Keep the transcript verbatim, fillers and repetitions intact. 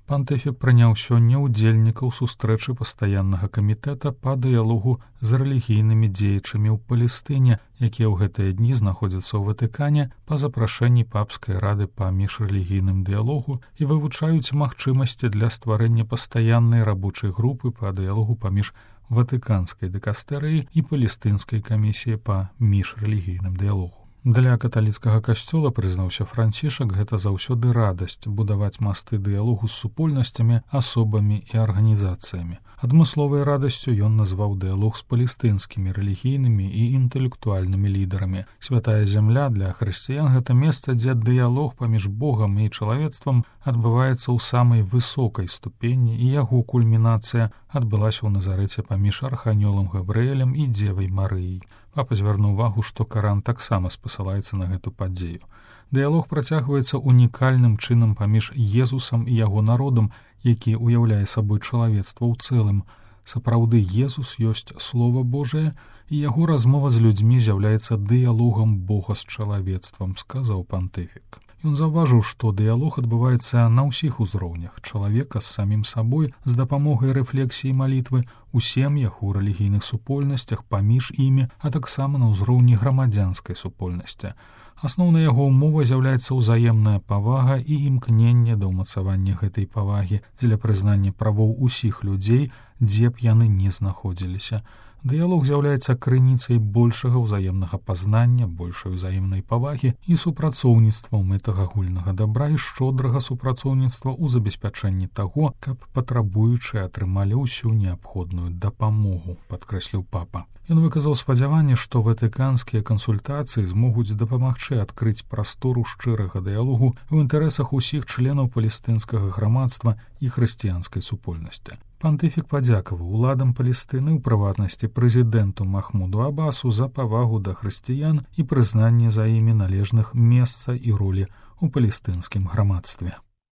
Пантыфік прыняў сёння ўдзельнікаў сустрэчы пастаяннага камітэта па дыялогу з рэлігійнымі дзеячамі ў Палестыне, якія ў гэтыя дні знаходзяцца ў Ватыкане па запрашэнні папскай рады па міжрэлігійным дыялогу і вывучаюць магчымасці для стварэння пастаяннай рабочай групы па дыялогу паміж ватыканскай дыкастэрыяй і палестынскай камісіяй па міжрэлігійным дыялогу. Для каталіцкага касцёла, прызнаўся Францішак, гэта заўсёды радасць будаваць масты дыялогу з супольнасцямі, асобамі і арганізацыямі. Адмысловай радасцю ён назваў дыялог з палестынскімі рэлігійнымі і інтэлектуальнымі лідарамі. Святая зямля для хрысціян — гэта месца, дзе дыялог паміж Богам і чалавецтвам адбываецца ў самай высокай ступені, і яго кульмінацыя адбылася ў Назарэце паміж арханёлам Габрыэлем і дзевай Марыяй. Папа звярнуў увагу, што Каран таксама спасылаецца на гэту падзею. Дыялог працягваецца унікальным чынам паміж Езусам і яго народам, які ўяўляе сабой чалавецтва ў цэлым. Сапраўды, Езус ёсць Слова Божае, і яго размова з людзьмі з'яўляецца дыялогам Бога з чалавецтвам, сказаў пантыфік. Ён заўважыў, што дыялог адбываецца на ўсіх узроўнях чалавека з самім сабой з дапамогай рэфлексіі малітвы, у сем'ях, у рэлігійных супольнасцях, паміж імі, а таксама на ўзроўні грамадзянскай супольнасці. Асноўнай яго ўмовай з'яўляецца ўзаемная павага і імкненне да ўмацавання гэтай павагі дзеля прызнання правоў усіх людзей, дзе б яны не знаходзіліся. Дыялог з'яўляецца крыніцай большага ўзаемнага пазнання, большай узаемнай павагі і супрацоўніцтва ў мэтах агульнага дабра і шчодрага супрацоўніцтва ў забеспячэнні таго, каб патрабуючыя атрымалі ўсю неабходную дапамогу, падкрэсліў папа. Ён выказаў спадзяванне, што ватыканскія кансультацыі змогуць дапамагчы адкрыць прастору шчырага дыялогу ў інтарэсах усіх членаў палестынскага грамадства і хрысціянскай супольнасці. Пантыфік падзякаваў уладам Палестыны, у прыватнасці прэзідэнту Махмуду Абасу, за павагу да хрысціян і прызнанне за імі належных месца і ролі ў палестынскім грамадстве.